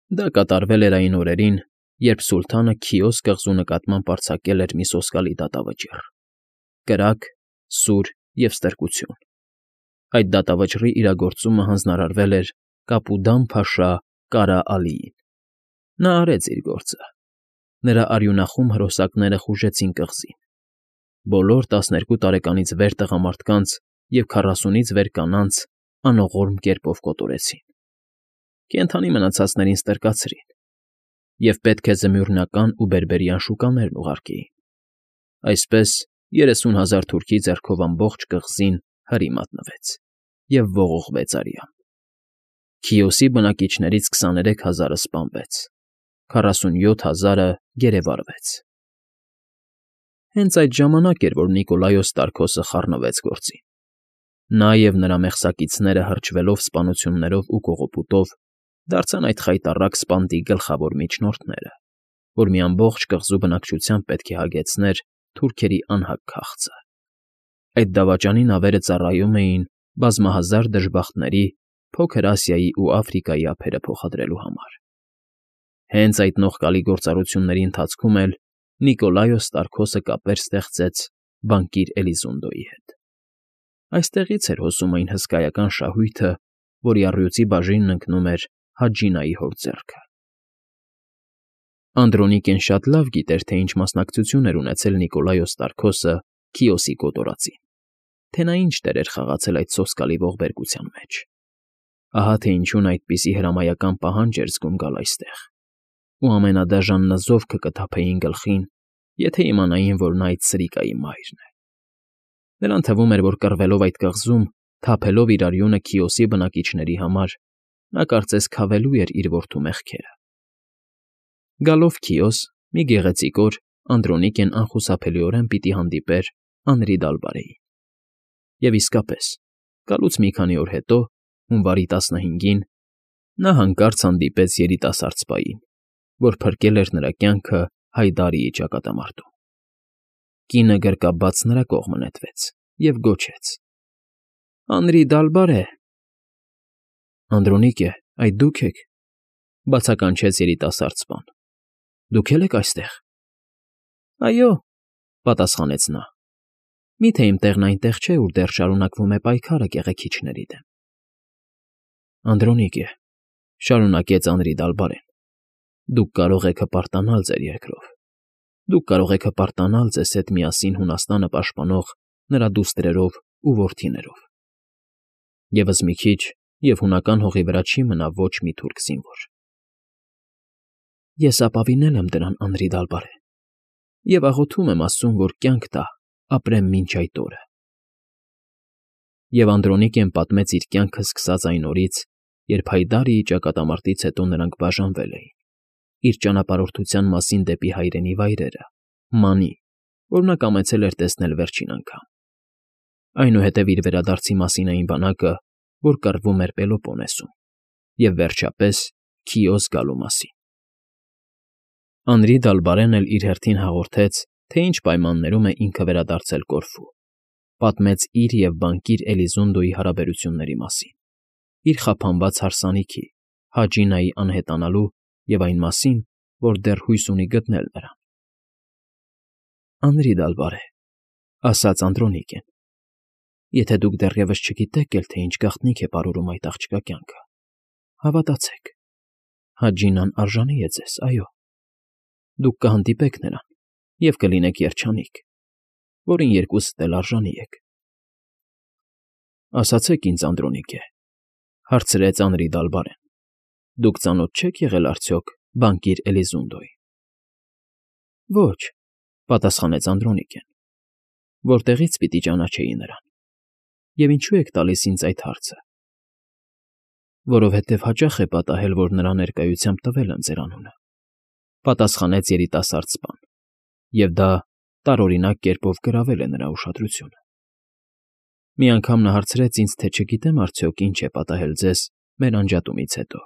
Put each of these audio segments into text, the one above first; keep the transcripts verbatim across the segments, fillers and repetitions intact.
Դա կատարվել էր այն օրերին, երբ սուլթանը Քիոս կղզու նկատմամբ արձակել էր մի սոսկալի դատավճիռ՝ կրակ, սուր և ստրկություն. այդ դատավճռի իրագործումը հանձնարարվել էր Կապուդան֊փաշա Կարա Ալիին։ Նա արեց իր գործը. նրա արյունախում հրոսակները խուժեցին կղզին, բոլոր տասներկու տարեկանից վեր տղամարդկանց և քառասունից վեր կանանց անողորմ կերպով կոտորեցին, կենդանի մնացածներին ստրկացրին և պետք է զմյուռնական ու բերբերյան շուկաներն ուղարկեին։ Այսպես երեսուն հազար թուրքի ձեռքով ամբողջ կղզին հրի մատնվեց և ողողվեց արյամբ։ Քիոսի բնակիչներից քսաներեք հազարը սպանվեց, քառասունյոթ հազարը գերեվարվեց։ Հենց այդ ժամանակ էր, որ Նիկոլայոս Տարքոսը խառնվեց գործին։ Նա և նրա մեղսակիցները հրճվելով սպանություններով ու կողոպուտով դարձան այդ խայտառակ սպանդի գլխավոր միջնորդները, որ մի ամբողջ կղզու բնակչության պետք է հագեցներ թուրքերի անհակ քաղցը։ Այդ դավաճանի նավերը ծառայում էին բազմահազար դժբախտների Փոքր Ասիայի ու Աֆրիկայի ափերը փոխադրելու համար։ Հենց այդ նողկալի գործառույթների ընթացքում էլ Նիկոլայոս Տարքոսը կապեր ստեղծեց բանկիր Էլիզունդոյի հետ։ Այստեղից էր հոսում այն հսկայական շահույթը, որի առյուծի բաժինն ընկնում էր Հաջինայի հոր ձեռքը։ Անդրոնիկեն շատ լավ գիտեր, թե ինչ մասնակցություն էր ունեցել Նիկոլայոս Տարքոսը Քիոսի կոտորածին, թե նա ինչ դեր էր խաղացել այդ սոսկալի ողբերգության մեջ։ Ահա թե ինչու նա այդպիսի հրամայական պահանջ էր զգում գալ այստեղ, ու ամենադաժան նզովքը կթափեին գլխին, եթե իմանային, որ նա այդ սրիկայի մայրն է։ Նրան թվում էր, որ կռվելով այդ կղզում, թափելով իր արյունը Քիոսի բնակիչների համար, նա կարծես քավելու էր իր որդու մեղքերը։ Գալով Քիոս, մի գեղեցիկ օր Անդրոնիկեն անխուսափելիորեն պիտի հանդիպեր Անրի Դալբարեին։ Եվ իսկապես, գալուց մի քանի օր հետո, հունվարի տասնհինգին, նա հանկարծ հանդիպեց երիտասարդ սպային, որ փրկել էր նրա կյանքը Հայդարիի ճակատամարտում։ Կինը գրկաբաց նրա կողմը նետվեց և գոչեց. «Անրի Դալբարե»։ «Անդրոնիկե, այդ դու՞ք եք,֊ բացականչեց երիտասարդ սպան։֊ Դուք է՞լ եք այստեղ»։ «Այո,֊ պատասխանեց նա։֊ Մի՞թե իմ տեղն այնտեղ չէ, ուր դեռ շարունակվում է պայքարը կեղեքիչների դեմ»։ «Անդրոնիկե,֊ շարունակեց Անրի Դալբարեն,֊ դուք կարող եք հպարտանալ ձեր երկրով, դուք կարող եք հպարտանալ ձեզ հետ միասին Հունաստանը պաշտպանող նրա դուստրերով ու որդիներով։ Եվս մի քիչ, և հունական հողի վրա չի մնա ոչ մի թուրք զինվոր»։ «Ես ապավինել եմ դրան, Անրի Դալբարե, և աղոթում եմ աստծուն, որ կյանք տա, ապրեմ մինչ այդ օրը»։ Եվ Անդրոնիկեն պատմեց իր կյանքը սկսած այն օրից, երբ Հայդարիի ճակատամարտից հետո նրանք բաժանվել էին, իր ճանապարհորդության մասին դեպի հայրենի վայրերը, Մանի, որ նա կամեցել էր տեսնել վերջին անգամ, այնուհետև իր վերադարձի մասին այն բանակը, որ կռվում էր Պելոպոնեսում, և վերջապես Քիոս գալու մասին։ Անրի Դալբարեն էլ իր հերթին հաղորդեց, թե ինչ պայմաններում է ինքը վերադարձել Կորֆու, պատմեց իր և բանկիր Էլիզունդոյի հարաբերությունների մասին, իր խափանված հարսանիքի՝ Հաջինայի անհետանալու և այն մասին, որ դեռ հույս ունի գտնել նրան։ «Անրի Դալբարե,֊ ասաց Անդրոնիկեն,֊ եթե դուք դեռևս չգիտեք էլ, թե ինչ գաղտնիք է պարուրում այդ աղջկա կյանքը, հավատացեք, Հաջինան արժանի է ձեզ, այո, դուք կհանդիպեք նրան և կլինեք երջանիկ, որին երկուսդ էլ արժանի եք»։ «Ասացեք ինձ, Անդրոնիկե,֊ հարցրեց Անրի Դալբարեն,֊ դուք ծանոթ չեք եղել արդյոք բանկիր Էլիզունդոյին»։ «Ոչ,֊ պատասխանեց Անդրոնիկեն,֊ որտեղի՞ց պիտի ճանաչեի նրան, և ինչու եք տալիս ինձ այդ հարցը»։ «Որովհետև հաճախ է պատահել, որ նրա ներկայությամբ տվել եմ ձեր անունը,֊ պատասխանեց երիտասարդ սպան, և դա տարօրինակ կերպով գրավել է նրա ուշադրությունը։ Մի անգամ նա հարցրեց ինձ, թե չգիտեմ արդյոք ինչ է պատահել ձեզ մեր անջատումից հետո։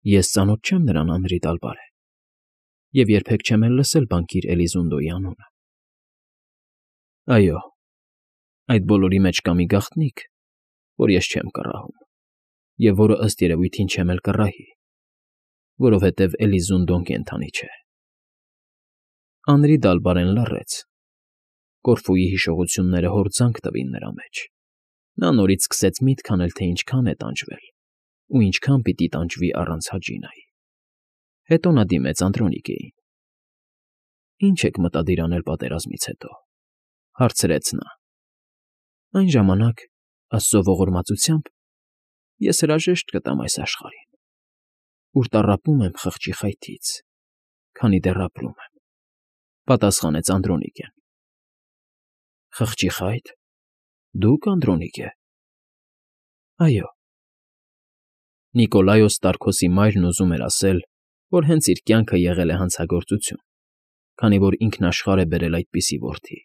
Ես ծանոթ չեմ նրան, Անրի Դալբարե, և երբեք չեմ էլ լսել բանկիր Էլիզունդոյի անունը։ Այո, այդ բոլորի մեջ կա մի գաղտնիք, որ ես չեմ կռահում, և որը, ըստ երևույթին, չեմ էլ կռահի, որովհետև Էլիզունդոն կենդանի չէ։ Անրի Դալբարեն լռեց։ Կորֆուի հիշողությունները հորձանք տվին նրա մեջ։ Նա նորից սկսեց միտք անել, թե ինչքան է տանջվել ու ինչքան պիտի տանջվի առանց Հաջինայի։ Հետո նա դիմեց Անդրոնիկեին։ ֊ Ինչ եք մտադիր անել պատերազմից հետո,֊ հարցրեց նա։ Այն ժամանակ, Աստծո ողորմածությամբ, ես հրաժեշտ կտամ այս աշխարհին, ուր տառապում եմ խղճի խայթից, քանի դեռ ապրում եմ,֊ պատասխանեց Անդրոնիկեն։ ֊ Խղճի խա՞յթ, դուք, Անդրոնիկե։ ֊ Այո։ Նիկոլայոս Տարքոսի մայրն ուզում էր ասել, որ հենց իր կյանքը եղել է հանցագործություն, քանի որ ինքնաշխարհ է բերել այդպիսի որդի,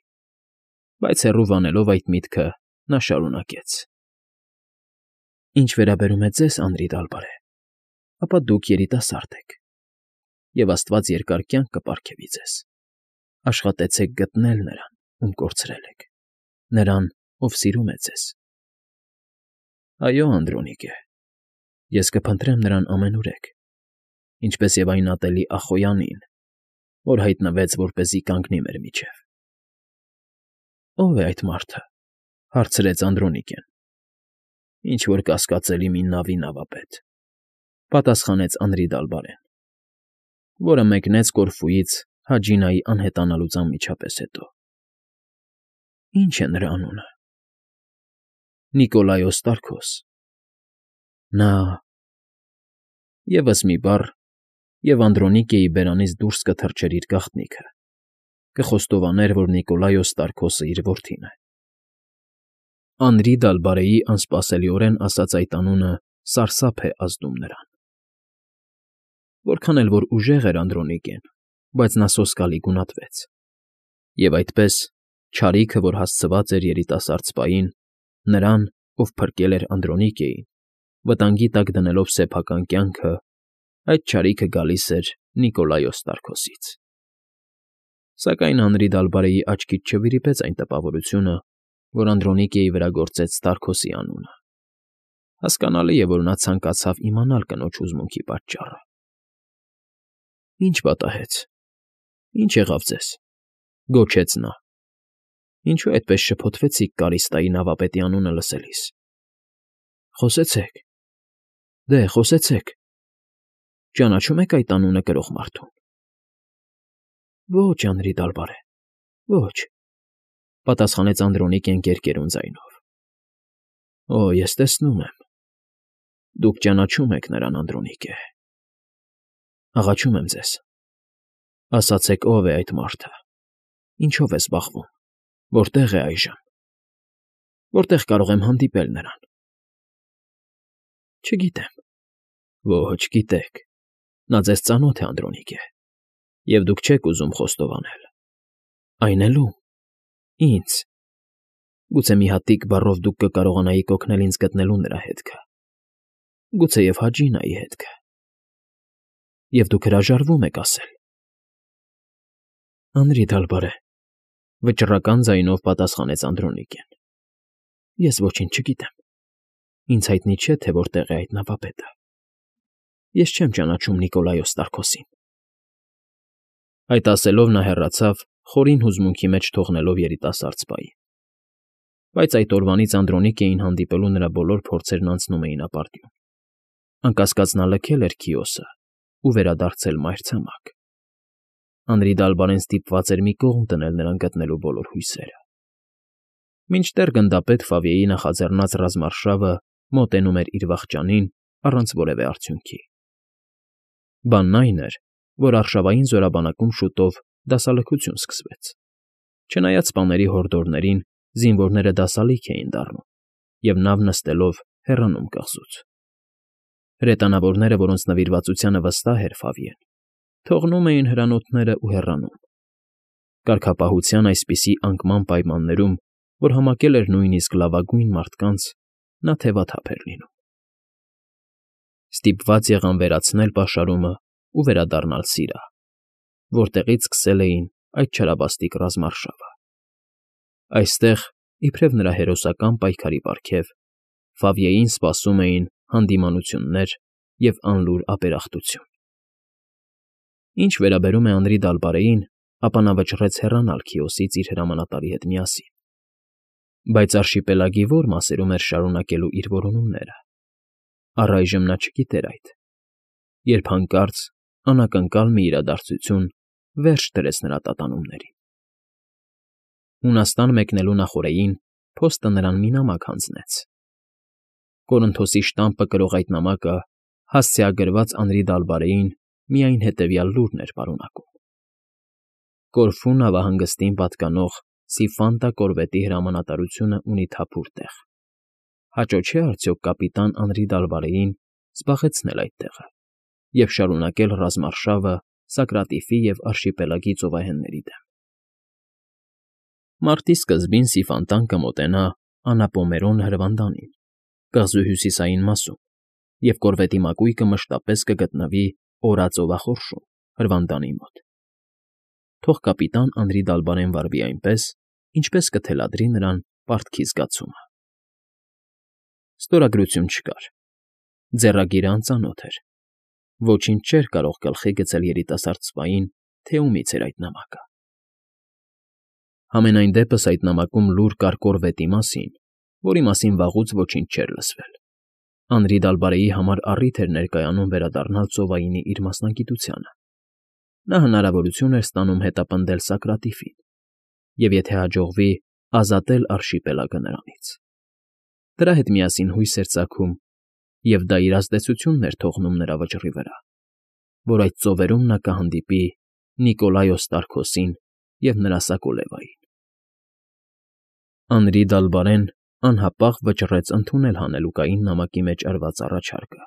բայց հեռու վանելով այդ միտքը, նա շարունակեց. Ինչ վերաբերում է ձեզ, Անրի Դալբարե, ապա դուք երիտասարդ եք, և Աստված երկար կյանք կպարգևի ձեզ. աշխատեցեք գտնել նրան, ում կորցրել եք, նրան, ով սիրում է ձեզ։ Այո, Անդրոնիկե, ես կփնտրեմ նրան ամենուրեք, ինչպես և այն ատելի Ախոյանին, որ հայտնվեց, որպեսզի կանգնի մեր միջև։ Ո՞վ է այդ մարդը,֊ հարցրեց Անդրոնիկեն։ Ինչ-որ կասկածելի մի նավի նավապետ,֊ պատասխանեց Անրի Դալբարեն, որը մեկնեց Կորֆուից Հաջինայի անհետանալուց անմիջապես հետո։ Ի՞նչ է նրա անունը։ Նիկոլայոս Տարքոս։ Նա… Եվս մի բառ, և Անդրոնիկեի բերանից դուրս կթռչեր իր գաղտնիքը, կխոստովաներ, որ Նիկոլայոս Տարքոսը իր որդին է։ Անրի Դալբարեի անսպասելիորեն ասած այդ անունը սարսափ է ազդում նրան։ Որքան էլ որ ուժեղ էր Անդրոնիկեն, բայց նա սոսկալի գունատվեց, և այդպես չարիքը, որ հասցված էր երիտասարդ սպային, նրան, ով փրկել էր Անդրոնիկեին, վտանգի տակ դնելով սեփական կյանքը, այդ չարիքը գալիս էր Նիկոլայոս Տարքոսից։ Սակայն Անրի Դալբարեի աչքից չվիրիպեց այն տպավորությունը, որ Անդրոնիկեի վրա գործեց Տարքոսի անունը։ Հասկանալի է, որ նա ցանկացավ իմանալ կնոջ հուզմունքի պատճառը։ Ինչ պատահեց, ինչ եղավ ձեզ,֊ գոչեց նա։ Ինչու այդպես շփոթվեցիք Կարիստայի նավապետի անունը լսելիս։ Խոսեցեք, դե խոսեցեք, ճանաչո՞ւմ եք այդ անունը կրող մարդուն։ Ոչ, Անրի Դալբարե, ոչ,֊ պատասխանեց Անդրոնիկեն կերկերուն ձայնով։ Օ, ես տեսնում եմ, դուք ճանաչում եք նրան, Անդրոնիկե։ Աղաչում եմ ձեզ, ասացեք ով է այդ մարդը, ինչով է զբաղվում, որտեղ է այժմ, որտեղ կարող եմ հանդիպել նրան։ Չգիտեմ։ Ոչ, գիտեք, նա ձեզ ծանոթ է, Անդրոնիկե, և դուք չեք ուզում խոստովանել։ Այն էլ ո՞ւմ։ Ինձ։ Գուցե մի հատիկ բառով դուք կկարողանայիք օգնել ինձ գտնելու նրա հետքը, գուցեև Հաջինայի հետքը։ Եվ դուք հրաժարվում եք ասել։ Անրի Դալբարե,֊ վճռական ձայնով պատասխանեց Անդրոնիկեն։ Ես ոչինչ չգիտեմ։ Ինձ հայտնի չէ, թե որտեղ է այդ նավապետը։ Ես չեմ ճանաչում Նիկոլայոս Տարքոսին։ Այդ ասելով նա հեռացավ, խորին հուզմունքի մեջ թողնելով երիտասարդ սպային։ Բայց այդ օրվանից Անդրոնիկեին հանդիպելու նրա բոլոր փորձերն անցնում էին ապարդյուն։ Անկասկած նա լքել էր Քիոսը ու վերադարձել մայրցամաք։ Անրի Դալբարեն ստիպված էր մի կողմ դնել նրան գտնելու բոլոր հույսերը։ Մինչդեռ գնդապետ Ֆավիեի նախաձեռնած ռազմարշավը մոտենում էր իր վախճանին առանց որևէ արդյունքի։ Բանն այն էր, որ արշավային զորաբանակում շուտով դասալքություն սկսվեց։ Չնայած սպաների հորդորներին, զինվորները դասալիք էին դառնում և նավ նստելով հեռանում կղզուց։ Հրետանավորները, որոնց նվիրվածությանը վստահ էր Ֆավիեն, թողնում էին հրանոթներն ու հեռանում։ Կարգապահության այսպիսի անկման պայմաններում, որ համակել էր նույնիսկ լավագույն մարդկանց, նա թևաթափ էր լինում։ Ստիպված եղան վերացնել պաշարումը ու վերադառնալ Սիրահ, որտեղից սկսել էին այդ չարաբաստիկ ռազմարշավը։ Այստեղ, իբրև նրա հերոսական պայքարի պարգև, Ֆավիեին սպասում էին հանդիմանություններ և անլուր ապերախտություն։ Ինչ վերաբերում է Անրի Դալբարեին, ապա նա վճռեց հեռանալ Քիոսից իր հրամանատարի հետ միասին։ Բայց արշիպելագի ո՞ր մասերում էր շարունակելու իր որոնումները, առայժմ նա չգիտեր այդ, երբ հանկարծ անակնկալ մի իրադարձություն վերջ դրեց նրա տատանումներին։ Հունաստան մեկնելու նախօրեին փոստը նրան մի նամակ հանձնեց։ Կորինթոսի շտամպը կրող այդ նամակը հասցեագրված Անրի Դալբարեին միայն հետևյալ լուրն էր պարունակում. Կորֆու նավահանգստին պատկանող Սիֆանտա կորվետի հրամանատարությունը ունի թափուր տեղ։ Հաճո չէ արդյոք կապիտան Անրի Դալբարեին զբաղեցնել այդ տեղը և շարունակել ռազմարշավը Սակրատիֆի և արշիպելագի ծովահենների դեմ։ Մարտի սկզբին Սիֆանտան կմոտենա Անապոմերոն հրվանդանին, կղզու հյուսիսային մասում, և կորվետի մակույկը մշտապես կգտնվի Օրածովախորշում, հրվանդանի մոտ։ Թող կապիտան Անրի Դալբարեն վարվի այնպես, ինչպես կթելադրի նրան պարտքի զգացումը։ Ստորագրություն չկար։ Ձեռագիրը անծանոթ էր։ Ոչինչ չէր կարող գլխի գցել երիտասարդ սպային, թե ումից էր այդ նամակը։ Համենայն դեպս այդ նամակում լուր կար կորվետի մասին, որի մասին վաղուց ոչինչ չէր լսվել։ Անրի Դալբարեի համար առիթ էր ներկայանում վերադառնալ ծովայինի իր մասնագիտությանը։ Նա հնարավորություն էր ստանում հետապնդել Սակրատիֆին, և եթե հաջողվի, ազատել արշիպելագը նրանից։ Դրա հետ միասին հույս էր ծագում, և դա իր ազդեցությունն էր թողնում նրա վճռի վրա, որ այդ ծովերում նա կհանդիպի Նիկոլայոս Տարքոսին և նրա Սակոլևային։ Անրի Դալբարեն անհապաղ վճռեց ընդունել հանելուկային նամակի մեջ արված առաջարկը։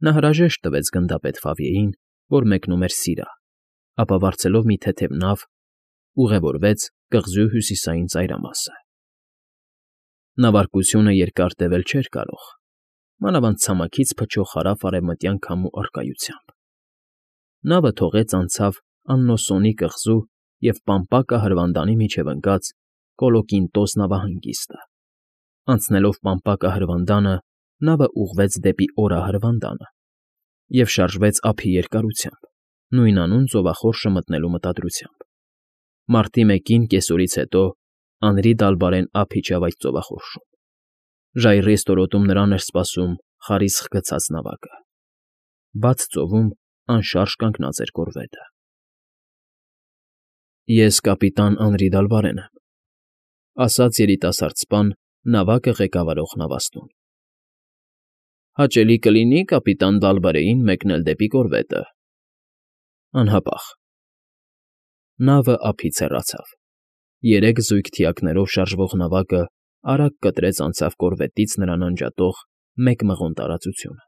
Նա հրաժեշտ տվեց գնդապետ Ֆավիեին, որ մեկնում էր Սիրա, ապա վարձելով մի թեթև նավ, ուղևորվեց կղզու հյուսիսային ծայրամասը։ Նավարկությունը երկար տևել չէր կարող, մանավանդ ցամաքից փչող հարավ֊արևմտյան քամու առկայությամբ։ Նավը թողեց անցավ Աննոսոնի կղզու և Պամպակա հրվանդանի միջև ընկած Կոլոկինտոս նավահանգիստը։ Անցնելով Պամպակա հրվանդանը՝ նավը ուղղվեց դեպի Օրա հրվանդանը և շարժվեց ափի երկարությամբ, նույնանուն ծովախորշը մտնելու մտադրությամբ։ Մարտի մեկին կեսօրից հետո Անրի Դալբարեն ափ իջավ այդ ծովախորշում։ Ժայռի ստորոտում նրան էր սպասում խարիսխ գցած նավակը։ Բաց ծովում անշարժ կանգնած էր կորվետը։ Ես կապիտան Անրի Դալբարեն եմ,֊ ասաց երիտասարդ սպան նավակը ղեկավարող նավաստուն։ Հաճելի կլինի կապիտան Դալբարեին մեկնել դեպի կորվետը։ Անհապաղ։ Նավը ափից հեռացավ։ Երեք զույգ թիակներով շարժվող նավակը արագ կտրեց անցավ կորվետից նրան անջատող մեկ մղոն տարածությունը։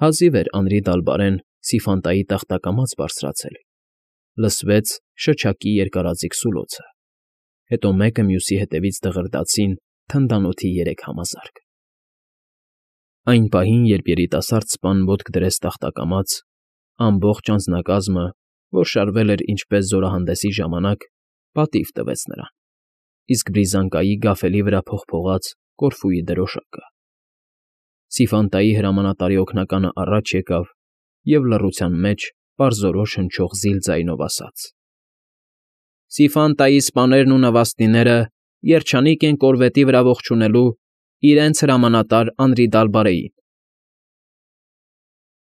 Հազիվ էր Անրի Դալբարեն Սիֆանտայի տախտակամած բարձրացել, լսվեց շչակի երկարաձիգ սուլոցը, հետո մեկը մյուսի հետևից դղրդացին թնդանոթի երեք համազարկ։ Այն պահին, երբ երիտասարդ սպան ոտք դրեց տախտակամաց, ամբողջ անձնակազմը, որ շարվել էր ինչպես զորահանդեսի ժամանակ, պատիվ տվեց նրան, իսկ բրիզանգայի գաֆելի վրա փողփողաց կորֆուի դրոշակը։ Սիֆանտայի հրամանատարի օգնականը առաջ եկավ և լռության մեջ պարզորոշ հնչող զիլ ձայնով ասաց. Սիֆանտայի սպաներն ու նավաստիները երջանիկ են կորվետի վրա ողջունելու իրենց հրամանատար Անրի Դալբարեին։